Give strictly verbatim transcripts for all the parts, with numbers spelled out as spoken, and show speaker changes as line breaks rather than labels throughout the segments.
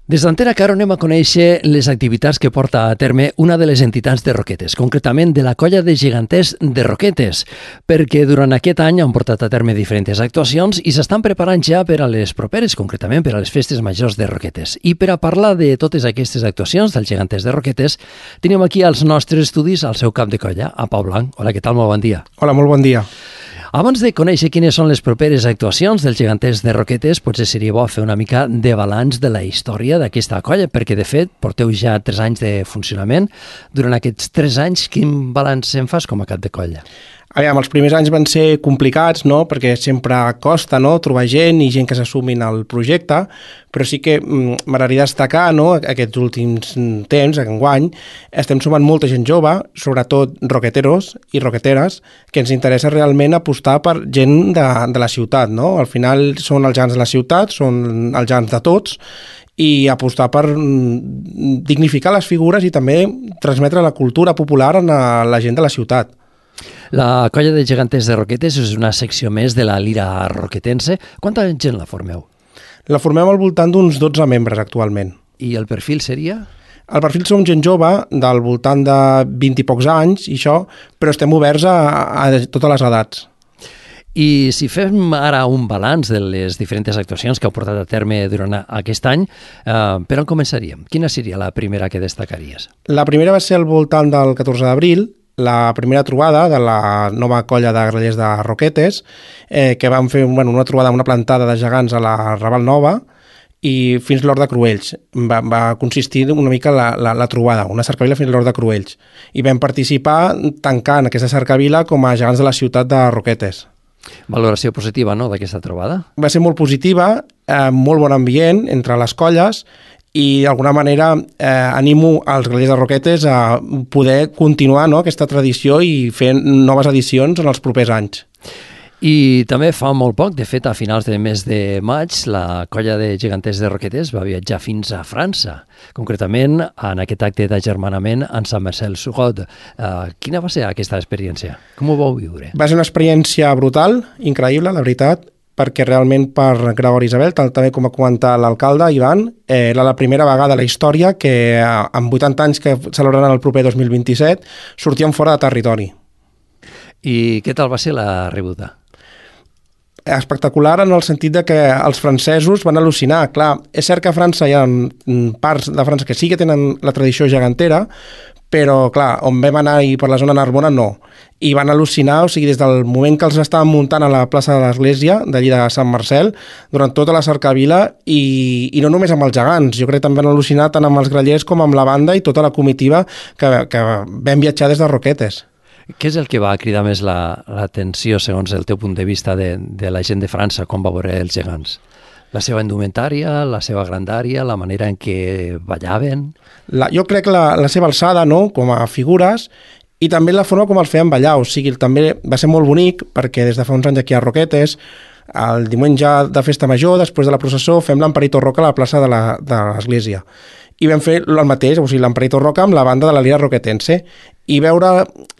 Des d'Antena Caro anem a conèixer les activitats que porta a terme una de les entitats de Roquetes, concretament de la Colla de Geganters de Roquetes, perquè durant aquest any han portat a terme diferents actuacions i s'estan preparant ja per a les properes, concretament per a les festes majors de Roquetes. I per a parlar de totes aquestes actuacions dels Geganters de Roquetes, tenim aquí als nostres estudis al seu cap de colla, a Pau Blanc. Hola, què tal? Molt bon dia.
Hola, molt bon dia.
Abans de conèixer quines són les properes actuacions dels Geganters de Roquetes, potser seria bo fer una mica de balanç de la història d'aquesta colla, perquè de fet porteu ja tres anys de funcionament. Durant aquests tres anys, quin balanç en fas com a cap de colla?
Aviam, els primers anys van ser complicats, no?, perquè sempre costa, no?, trobar gent i gent que s'assumin al projecte, però sí que mm, m'agradaria destacar, no?, aquests últims temps, enguany, estem sumant molta gent jove, sobretot roqueteros i roqueteres, que ens interessa realment apostar per gent de, de la ciutat, no? Al final són els gegants de la ciutat, són els gegants de tots, i apostar per mm, dignificar les figures i també transmetre la cultura popular a la gent de la ciutat.
La Colla de Geganters de Roquetes és una secció més de la lira roquetense. Quanta gent la formeu?
La formem al voltant d'uns dotze membres actualment.
I el perfil seria?
El perfil som gent jove, del voltant de vint i pocs anys, i això, però estem oberts a, a totes les edats.
I si fem ara un balanç de les diferents actuacions que heu portat a terme durant aquest any, eh, per on començaríem? Quina seria la primera que destacaries?
La primera va ser al voltant del catorze d'abril, la primera trobada de la nova colla de grallers de Roquetes, eh, que vam fer bueno, una trobada, una plantada de gegants a la Raval Nova, i fins l'Hort de Cruells. Va, va consistir una mica la, la, la trobada, una cercavila fins l'Hort de Cruells. I vam participar tancant aquesta cercavila com a gegants de la ciutat de Roquetes.
Valoració positiva, no?, d'aquesta trobada?
Va ser molt positiva, eh, molt bon ambient entre les colles, i d'alguna manera eh, animo als grallers de Roquetes a poder continuar, no?, aquesta tradició i fer noves edicions en els propers anys.
I també fa molt poc, de fet a finals del mes de maig, la Colla de Geganters de Roquetes va viatjar fins a França, concretament en aquest acte d'agermanament en Saint-Marcel-sur-Rode. Uh, quina va ser aquesta experiència? Com ho vau viure?
Va ser una experiència brutal, increïble, la veritat, perquè realment per Gregori Isabel, tal també com ha comentat l'alcalde Ivan, eh, era la primera vegada a la història que amb vuitanta anys que celebraran el proper dos mil vint-i-set sortíem fora de territori.
I què tal va ser la rebuda?
Espectacular en el sentit de que els francesos van al·lucinar. Clar, és cert que a França hi ha parts de França que sí que tenen la tradició gegantera, però, clar, on vam anar i per la zona Narbona, no. I van al·lucinar, o sigui, des del moment que els estaven muntant a la plaça de l'Església, d'allí de Sant Marcel, durant tota la cercavila, i, i no només amb els gegants, jo crec que també van al·lucinar tant amb els grallers com amb la banda i tota la comitiva que, que vam viatjar des de Roquetes.
Què és el que va cridar més l'atenció, segons el teu punt de vista, de, de la gent de França quan va veure els gegants? La seva indumentària, la seva grandària, la manera en què ballaven?
La, jo crec la, la seva alçada, no?, com a figures, i també la forma com els feien ballar. O sigui, també va ser molt bonic, perquè des de fa uns anys aquí a Roquetes, el diumenge de festa major, després de la processó, fem l'Emperito Roca a la plaça de l'Església. I vam fer el mateix, o sigui, l'Emperito Roca amb la banda de la lira roquetense, i veure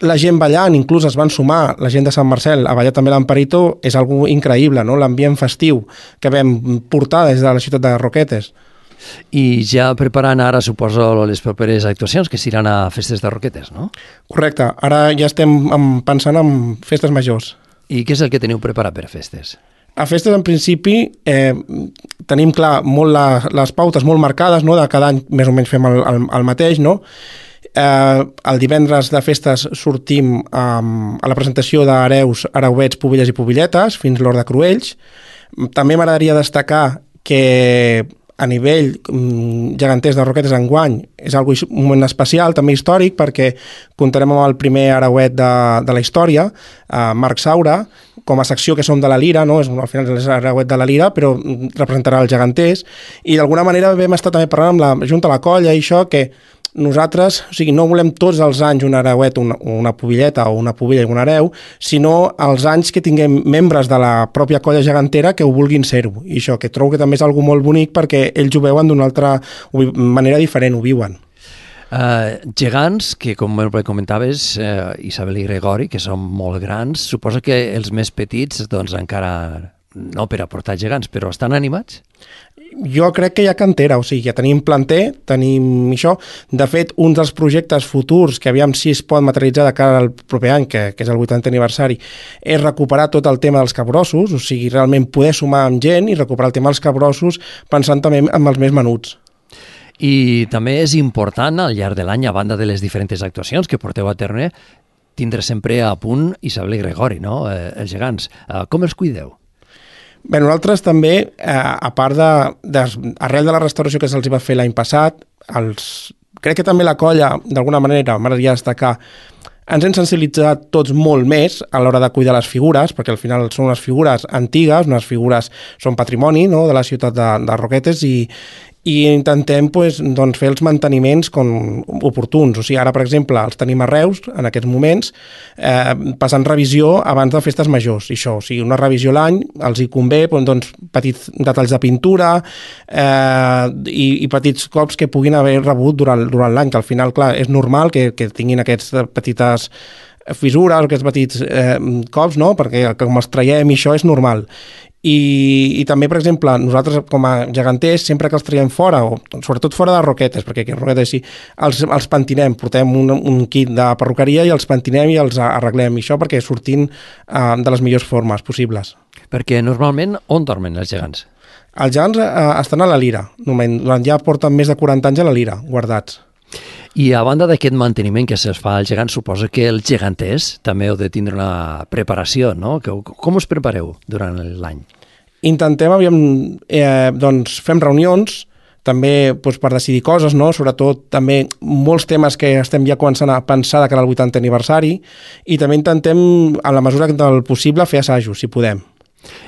la gent ballant, inclús es van sumar la gent de Sant Marcel a ballar també l'Emperito, és algo increïble, no?, l'ambient festiu que vam portar des de la ciutat de Roquetes.
I ja preparant ara, suposo, les properes actuacions que seran a festes de Roquetes, no?
Correcte, ara ja estem pensant en festes majors.
I què és el que teniu preparat per a festes?
A festes, en principi, eh, tenim clar molt la, les pautes molt marcades, no?, de cada any més o menys fem el, el, el mateix, no? Eh, el divendres de festes sortim um, a la presentació d'hereus, hereuets, pubelles i pubilletes, fins l'Hort de Cruells. També m'agradaria destacar que a nivell um, geganters de Roquetes enguany és algo, un moment especial, també històric, perquè comptarem amb el primer hereuet de, de la història, uh, Marc Saura, com a secció que som de la lira, no? És, al final és hereuet de la lira, però representarà els geganters, i d'alguna manera vam estar també parlant amb la Junta de la Colla i això, que nosaltres, o sigui, no volem tots els anys un hereuet, una, una pubilleta o una pubilla i un hereu, sinó els anys que tinguem membres de la pròpia colla gegantera que ho vulguin ser-ho. I això, que trobo que també és algo molt bonic perquè ells ho veuen d'una altra manera diferent, ho viuen.
Uh, gegants, que com comentaves, uh, Isabel i Gregori, que són molt grans, suposo que els més petits doncs encara no per a portar gegants, però estan animats?
Jo crec que hi ha cantera, o sigui, ja tenim planter, tenim això. De fet, un dels projectes futurs, que aviam si es pot materialitzar de cara al proper any, que, que és el vuitantè aniversari, és recuperar tot el tema dels capgrossos, o sigui, realment poder sumar amb gent i recuperar el tema dels capgrossos pensant també en els més menuts.
I també és important, al llarg de l'any, a banda de les diferents actuacions que porteu a terme, tindre sempre a punt Isabel i Gregori, no? Eh, els gegants. Eh, com els cuideu?
Bé, nosaltres també, eh, a part de, de, arrel de la restauració que se'ls va fer l'any passat, els, crec que també la colla, d'alguna manera, m'agradaria destacar, ens hem sensibilitzat tots molt més a l'hora de cuidar les figures, perquè al final són unes figures antigues, unes figures són patrimoni, no?, de la ciutat de, de Roquetes, i, i intentem pues, doncs, fer els manteniments com oportuns. O sigui, ara, per exemple, els tenim a Reus, en aquests moments, eh, passant revisió abans de festes majors. I això, o sigui, una revisió a l'any, els hi convé doncs, petits detalls de pintura eh, i, i petits cops que puguin haver rebut durant, durant l'any, que al final, clar, és normal que, que tinguin aquestes petites fissures, aquests petits eh, cops, no?, perquè com els traiem i això és normal. I, i també, per exemple, nosaltres com a geganters, sempre que els traiem fora, o sobretot fora de Roquetes, perquè aquí a Roquetes sí, els, els pentinem, portem un, un kit de perruqueria i els pentinem i els arreglem, i això perquè surtin uh, de les millors formes possibles.
Perquè normalment on dormen els gegants?
Els gegants uh, estan a la Lira, durant ja porten més de quaranta anys a la Lira, guardats.
I a banda d'aquest manteniment que se'ls fa als gegants, suposo que els geganters també heu de tindre una preparació, no? Com us prepareu durant l'any?
Intentem, aviam, eh, doncs, fem reunions, també doncs, per decidir coses, no? Sobretot també molts temes que estem ja començant a pensar de cara al vuitantè aniversari, i també intentem, en la mesura del possible, fer assajos, si podem.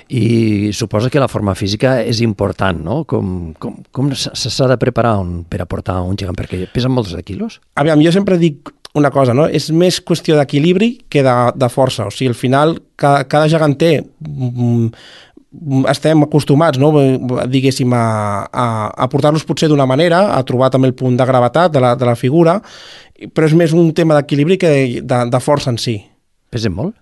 I suposo que la forma física és important, no? Com, com, com s'ha de preparar un, per aportar un gegant? Perquè pesen molts de quilos?
Aviam, jo sempre dic una cosa, no? És més qüestió d'equilibri que de, de força. O sigui, al final, cada, cada geganter mm, estem acostumats, no? Diguéssim, a, a, a portar-los potser d'una manera, a trobar també el punt de gravetat de la, de la figura, però és més un tema d'equilibri que de, de, de força en si.
Pesen molt?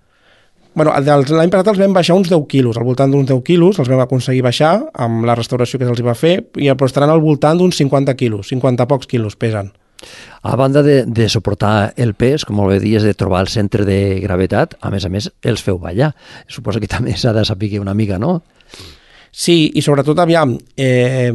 Bueno, l'any passat els vam baixar uns deu quilos, al voltant d'uns deu quilos, els vam aconseguir baixar amb la restauració que se'ls va fer, i però estaran al voltant d'uns cinquanta quilos, cinquanta pocs quilos pesen.
A banda de, de suportar el pes, com molt bé dies, de trobar el centre de gravetat, a més a més, els feu ballar. Suposo que també s'ha de saber una mica, no?
Sí, i sobretot, aviam, eh,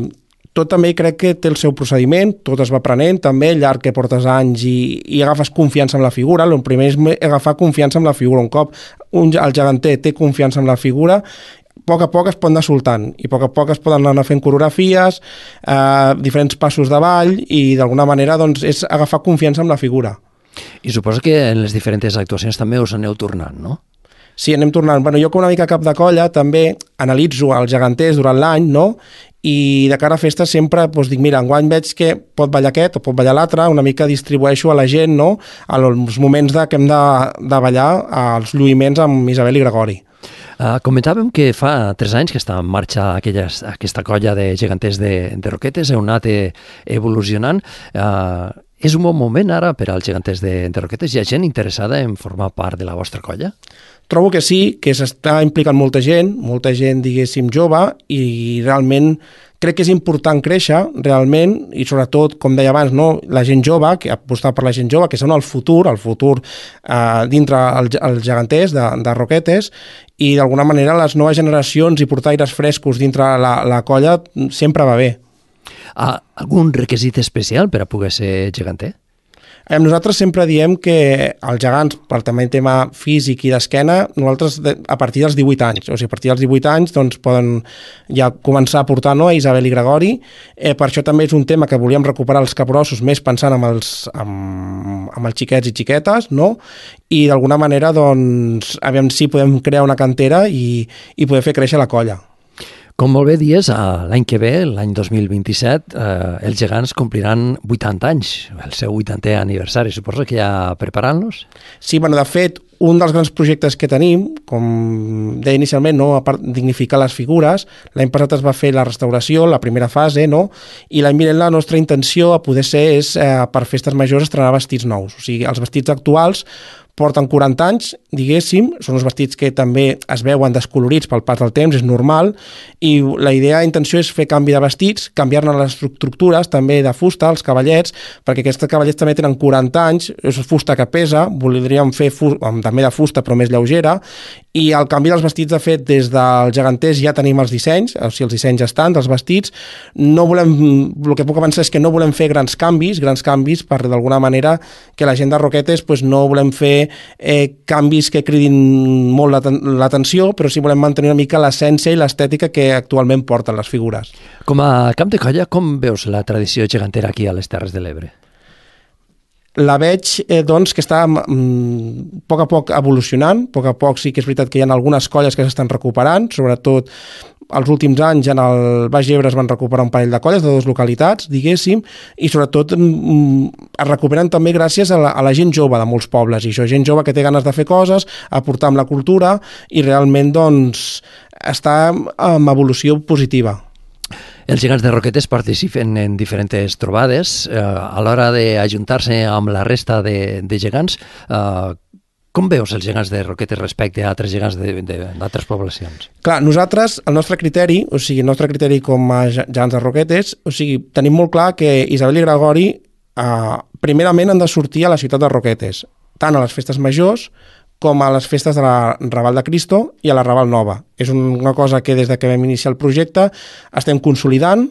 tot també crec que té el seu procediment, tot es va aprenent també, al llarg que portes anys i, i agafes confiança en la figura. El primer és agafar confiança en la figura. Un cop un, el geganter té confiança en la figura, a poc a poc es pot anar soltant i a poc a poc es poden anar fent coreografies, eh, diferents passos de ball, i d'alguna manera doncs, és agafar confiança en la figura.
I suposo que en les diferents actuacions també us aneu tornant, no?
Sí, anem tornant. Bueno, jo com una mica cap de colla també analitzo els geganters durant l'any, no? I de cara a festes sempre doncs, dic, mira, enguany veig que pot ballar aquest o pot ballar l'altre, una mica distribueixo a la gent, no?, als moments de, que hem de, de ballar els lluïments amb Isabel i Gregori.
Uh, comentàvem que fa tres anys que està en marxa aquelles, aquesta colla de geganters de, de Roquetes, heu anat evolucionant. Uh, és un bon moment ara per als geganters de, de Roquetes? Hi ha gent interessada en formar part de la vostra colla?
Trobo que sí, que s'està implicant molta gent, molta gent, diguéssim, jove, i realment crec que és important créixer, realment, i sobretot, com deia abans, no, la gent jove, que apostar per la gent jove, que són el futur, el futur eh, dintre els el geganters de, de Roquetes, i d'alguna manera les noves generacions i portar aires frescos dintre la, la colla sempre va bé.
Ah, algun requisit especial per a poder ser geganter?
Nosaltres sempre diem que els gegants, per també tema físic i d'esquena, nosaltres a partir dels divuit anys, o sigui, a partir dels divuit anys doncs, poden ja començar a portar, no, a Isabel i Gregori. Eh, per això també és un tema que volíem recuperar els capgrossos, més pensant amb els, amb, amb els xiquets i xiquetes, no? I d'alguna manera, doncs, aviam si podem crear una cantera i, i poder fer créixer la colla.
Com molt bé dies, l'any que ve, l'any dos mil vint-i-set, eh, els gegants compliran vuitanta anys, el seu vuitantè aniversari. Suposo que ja preparant-los?
Sí, bueno, de fet, un dels grans projectes que tenim, com deia inicialment, no, a part dignificar les figures, l'any passat es va fer la restauració, la primera fase, no? I l'any vinent la nostra intenció a poder ser és, eh, per festes majors, estrenar vestits nous. O sigui, els vestits actuals porten quaranta anys, diguéssim, són uns vestits que també es veuen descolorits pel pas del temps, és normal, i la idea, la intenció és fer canvi de vestits, canviar-ne les estructures també de fusta, els cavallets, perquè aquests cavallets també tenen quaranta anys, és fusta que pesa, voldríem fer fusta, també de fusta però més lleugera, i al canvi dels vestits, de fet, des del geganters ja tenim els dissenys, o sigui, els dissenys estan dels vestits, no volem, el que puc avançar és que no volem fer grans canvis, grans canvis per d'alguna manera que la gent de Roquetes pues, no volem fer Eh, canvis que cridin molt l'atenció, però sí volem mantenir una mica l'essència i l'estètica que actualment porten les figures.
Com a cap de colla, com veus la tradició gegantera aquí a les Terres de l'Ebre?
La veig, eh, doncs, que està mm, a poc a poc evolucionant, a poc a poc sí que és veritat que hi ha algunes colles que s'estan recuperant, sobretot els últims anys en el Baix Ebre es van recuperar un parell de colles de dues localitats, diguéssim, i sobretot mm, es recuperen també gràcies a la, a la gent jove de molts pobles, i això, gent jove que té ganes de fer coses, aportar amb la cultura, i realment doncs, està en evolució positiva.
Els gegants de Roquetes participen en diferents trobades. Eh, a l'hora d'ajuntar-se amb la resta de, de gegants, eh, com veus els gegants de Roquetes respecte a altres gegants d'altres poblacions?
Clar, nosaltres, el nostre criteri, o sigui, el nostre criteri com a gegants de Roquetes, o sigui, tenim molt clar que Isabel i Gregori eh, primerament han de sortir a la ciutat de Roquetes, tant a les festes majors com a les festes de la Raval de Cristo i a la Raval Nova. És una cosa que des de que vam iniciar el projecte estem consolidant,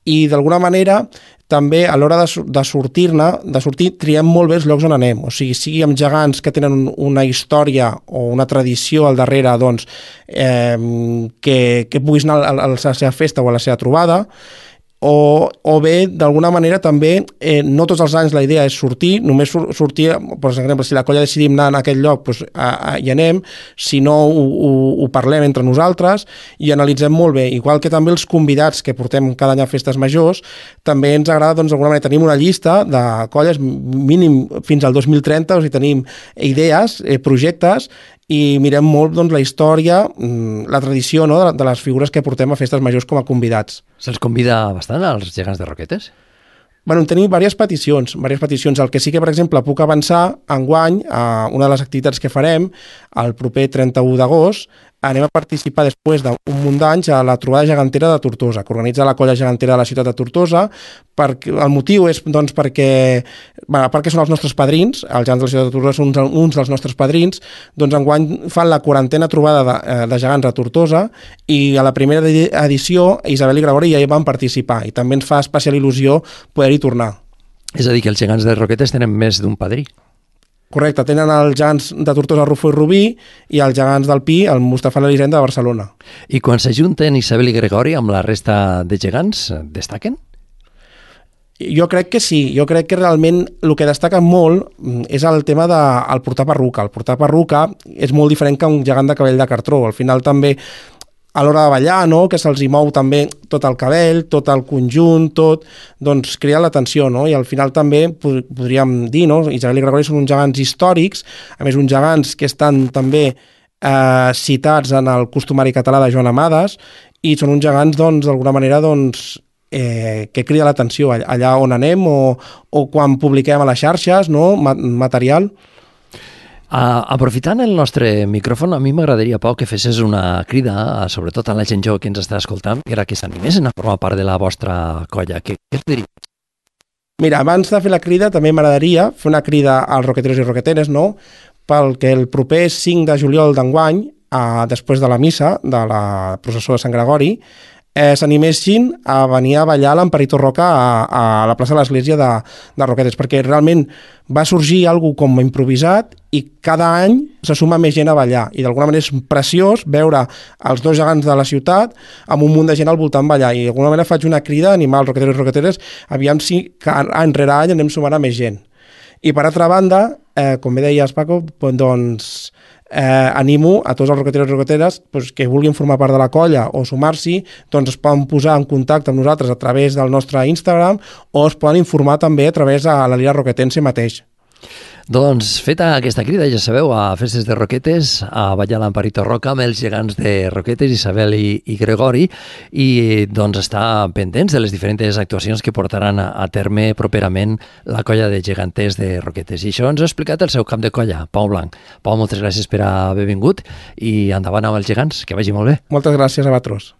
i d'alguna manera també a l'hora de, de sortir-ne, de sortir, triem molt bé els llocs on anem, o sigui, sigui amb gegants que tenen una història o una tradició al darrere, doncs, eh, que, que puguis anar a la, a la seva festa o a la seva trobada, o, o bé, d'alguna manera, també, eh, no tots els anys la idea és sortir, només sur sortir, per exemple, si la colla decidim anar en aquest lloc, doncs, a, a, hi anem, si no, ho, ho, ho parlem entre nosaltres i analitzem molt bé. Igual que també els convidats que portem cada any a festes majors, també ens agrada, doncs, d'alguna manera, tenim una llista de colles, mínim fins al dos mil trenta, o sigui, tenim idees, eh, projectes, i mirem molt doncs, la història, la tradició, no?, de, de les figures que portem a festes majors com a convidats.
Se'ls convida bastant als gegants de Roquetes?
Bueno, tenim diverses peticions, diverses peticions. El que sí que, per exemple, puc avançar enguany, a una de les activitats que farem, el proper trenta-u d'agost, anem a participar després d'un munt d'anys a la trobada gegantera de Tortosa, que organitza la colla gegantera de la ciutat de Tortosa. Perquè, el motiu és doncs, perquè, bueno, a part que són els nostres padrins, els gegants de la ciutat de Tortosa són uns, uns dels nostres padrins, doncs enguany fan la quarantena trobada de, de gegants a Tortosa, i a la primera edició Isabel i Gregori ja hi van participar, i també ens fa especial il·lusió poder-hi tornar.
És a dir, que els gegants de Roquetes tenen més d'un padrí.
Correcte, tenen els gegants de Tortosa, Rufó i Rubí, i els gegants del Pi, el Mustafà i l'Elisenda de Barcelona.
I quan s'ajunten Isabel i Gregori amb la resta de gegants, destaquen?
Jo crec que sí, jo crec que realment el que destaca molt és el tema del de, portar perruca. El portar perruca és molt diferent que un gegant de cabell de cartró. Al final també, a l'hora de ballar, no?, que se'ls hi mou també tot el cabell, tot el conjunt, tot, doncs crea l'atenció, no? I al final també podríem dir, no?, Isabel i Gregori són uns gegants històrics, a més uns gegants que estan també eh, citats en el costumari català de Joan Amades, i són uns gegants, doncs, d'alguna manera, doncs, eh, que crida l'atenció allà on anem o, o quan publiquem a les xarxes, no?, material.
Uh, aprofitant el nostre micròfon, a mi m'agradaria, Pau, que fessis una crida, sobretot a la gent jove que ens està escoltant, que era que s'animessin a formar part de la vostra colla. Què, què es diria?
Mira, abans de fer la crida, també m'agradaria fer una crida als roqueteros i roqueteres, no?, pel que el proper cinc de juliol d'enguany, eh, després de la missa de la processó de Sant Gregori, eh, s'animessin a venir a ballar l'Emperador Roca a, a la plaça de l'Església de, de Roquetes, perquè realment va sorgir alguna com improvisat i cada any se suma més gent a ballar, i d'alguna manera és preciós veure els dos gegants de la ciutat amb un munt de gent al voltant ballar, i d'alguna manera faig una crida a animar els roqueteros i roqueteres, aviam si any rere any anem sumant a més gent. I per altra banda, eh, com bé deies, Paco, doncs eh, animo a tots els roqueteros i roqueteres doncs, que vulguin formar part de la colla o sumar-s'hi, doncs es poden posar en contacte amb nosaltres a través del nostre Instagram o es poden informar també a través de la Lira Roquetense mateix.
Doncs feta aquesta crida, ja sabeu, a Festes de Roquetes, a ballar l'Amparito Roca amb els gegants de Roquetes, Isabel i, i Gregori, i doncs estar pendents de les diferents actuacions que portaran a, a terme properament la colla de geganters de Roquetes. I això ens ha explicat el seu cap de colla, Pau Blanc. Pau, moltes gràcies per haver vingut i endavant amb els gegants, que vagi molt bé.
Moltes gràcies a vosaltres.